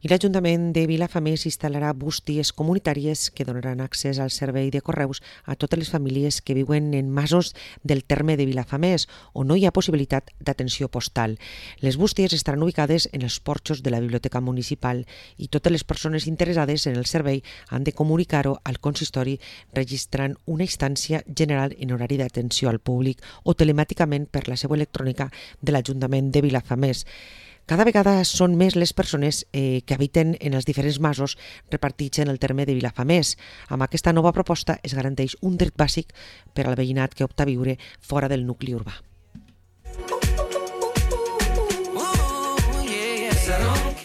I l'Ajuntament de Vilafamés instal·larà bústies comunitàries que donaran accés al servei de correus a totes les famílies que viuen en masos del terme de Vilafamés, on no hi ha possibilitat d'atenció postal. Les bústies estaran ubicades en els porxos de la Biblioteca Municipal i totes les persones interessades en el servei han de comunicar-ho al consistori registrant una instància general en horari d'atenció al públic o telemàticament per la seu electrònica de l'Ajuntament de Vilafamés. Cada vegada són més les persones que habiten en els diferents masos repartits en el terme de Vilafamés. Amb aquesta nova proposta es garanteix un dret bàsic per al veïnat que opta a viure fora del nucli urbà.